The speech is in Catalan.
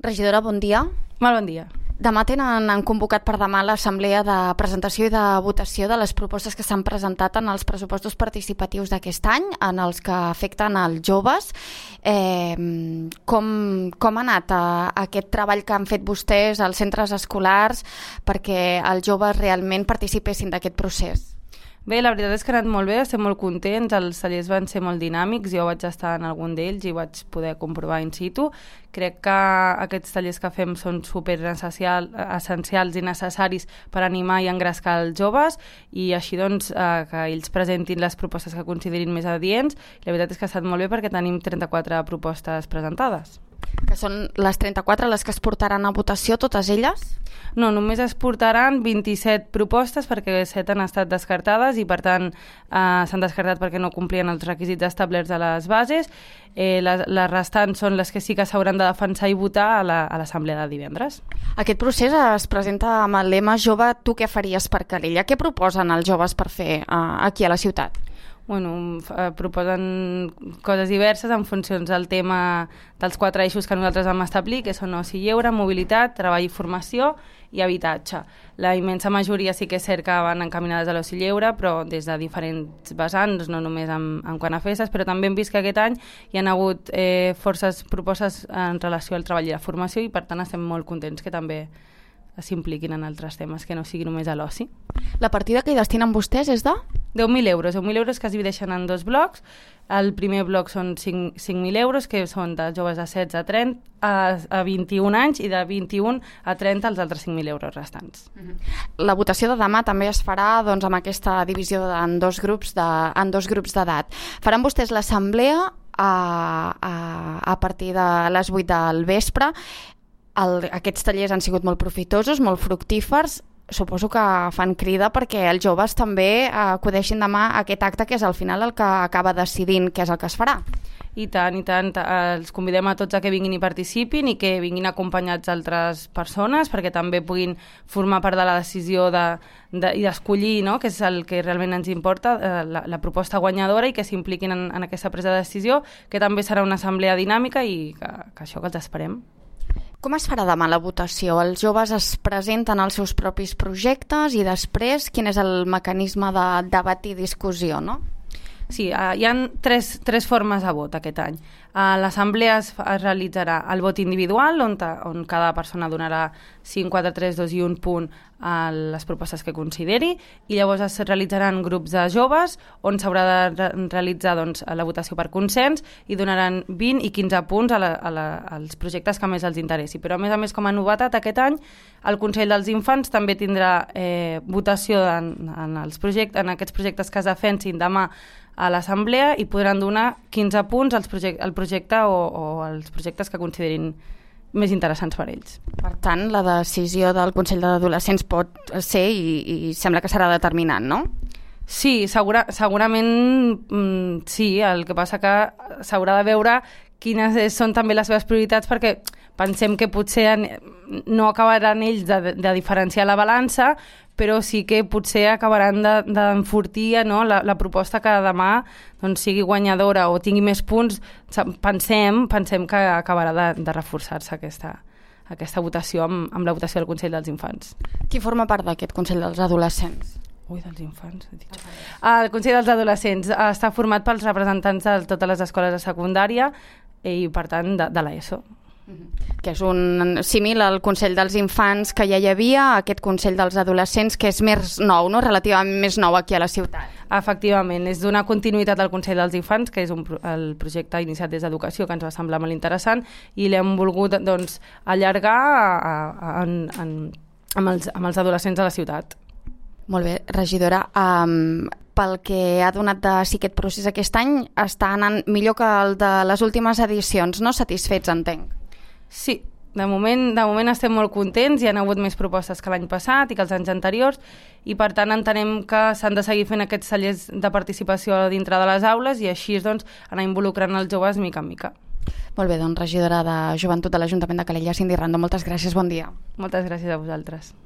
Regidora, bon dia. Molt bon dia. Demà han convocat per demà l'assemblea de presentació i de votació de les propostes que s'han presentat en els pressupostos participatius d'aquest any, en els que afecten els joves. Com ha anat aquest treball que han fet vostès als centres escolars perquè els joves realment participessin d'aquest procés? Bé, la veritat és que ha anat molt bé, estem molt contents, els tallers van ser molt dinàmics, jo vaig estar en algun d'ells i vaig poder comprovar in situ. Crec que aquests tallers que fem són super essencials i necessaris per animar i engrescar els joves i així doncs que ells presentin les propostes que considerin més adients. La veritat és que ha estat molt bé perquè tenim 34 propostes presentades. Que són les 34 les que es portaran a votació, totes elles? No, només es portaran 27 propostes perquè 7 han estat descartades i per tant s'han descartat perquè no complien els requisits establerts a les bases. Les restants són les que sí que s'hauran de defensar i votar a l'assemblea de divendres. Aquest procés es presenta amb el lema Jove, tu què faries per Calella? Què proposen els joves per fer aquí a la ciutat? Proposen coses diverses en funció del tema dels 4 eixos que nosaltres vam establir, que són oci i lleure, mobilitat, treball i formació i habitatge. La immensa majoria sí que és cert que van encaminades a l'oci i lleure, però des de diferents vessants, no només en quant a festes, però també hem vist que aquest any hi ha hagut forces propostes en relació al treball i la formació i per tant estem molt contents que també s'impliquin en altres temes, que no sigui només a l'oci. La partida que hi destinen vostès és de? 10.000 euros. 10.000 euros que es divideixen en 2 blocs. El primer bloc són 5.000 euros, que són de joves de 16 a 30 a 21 anys i de 21 a 30 els altres 5.000 euros restants. La votació de demà també es farà amb aquesta divisió en dos grups d'edat. Faran vostès l'assemblea a partir de les 8 del vespre. Aquests tallers han sigut molt profitosos, molt fructífers. Suposo que fan crida perquè els joves també acudeixin demà a aquest acte que és al final el que acaba decidint què és el que es farà. I tant. Els convidem a tots a que vinguin i participin i que vinguin acompanyats d'altres persones perquè també puguin formar part de la decisió i d'escollir, no? Que és el que realment ens importa, la proposta guanyadora, i que s'impliquin en aquesta presa de decisió, que també serà una assemblea dinàmica i que això que els esperem. Com es farà demà la votació? Els joves es presenten els seus propis projectes i després quin és el mecanisme de debat i discussió, no? Sí, hi ha tres formes de vot aquest any. A l'assemblea es realitzarà el vot individual, on cada persona donarà 5, 4, 3, 2 i 1 punt a les propostes que consideri, i llavors es realitzaran grups de joves on s'haurà de realitzar la votació per consens i donaran 20 i 15 punts als projectes que més els interessi. Però a més, com a novetat aquest any, el Consell dels Infants també tindrà votació en aquests projectes que es defensin demà a l'assemblea i podran donar 15 punts al projecte o als projectes que considerin més interessants per ells. Per tant, la decisió del Consell d'Adolescents pot ser i sembla que serà determinant, no? Sí, segurament sí. El que passa que s'haurà de veure quines són també les seves prioritats, perquè pensem que potser no acabaran ells de diferenciar la balança, però sí que potser acabaran d'enfortir la proposta que demà sigui guanyadora o tingui més punts. Pensem que acabarà de reforçar-se aquesta votació amb la votació del Consell dels Infants. Qui forma part d'aquest Consell dels Adolescents? Dels infants. El Consell dels Adolescents està format pels representants de totes les escoles de secundària i, per tant, de l'ESO. Que és un símil al Consell dels Infants que ja hi havia, aquest Consell dels Adolescents, que és més nou, no? Relativament més nou aquí a la ciutat. Efectivament, és donar continuïtat al Consell dels Infants, que és el projecte iniciat des d'Educació, que ens va semblar molt interessant, i l'hem volgut allargar amb els adolescents de la ciutat. Molt bé, regidora. Pel que ha donat de si aquest procés aquest any està anant millor que el de les últimes edicions, no? Satisfets, entenc. Sí, de moment estem molt contents, hi ha hagut més propostes que l'any passat i que els anys anteriors, i per tant entenem que s'han de seguir fent aquests tallers de participació dintre de les aules i així anar involucrant els joves mica en mica. Molt bé, regidora de Joventut de l'Ajuntament de Calella, Cindy Rando, moltes gràcies, bon dia. Moltes gràcies a vosaltres.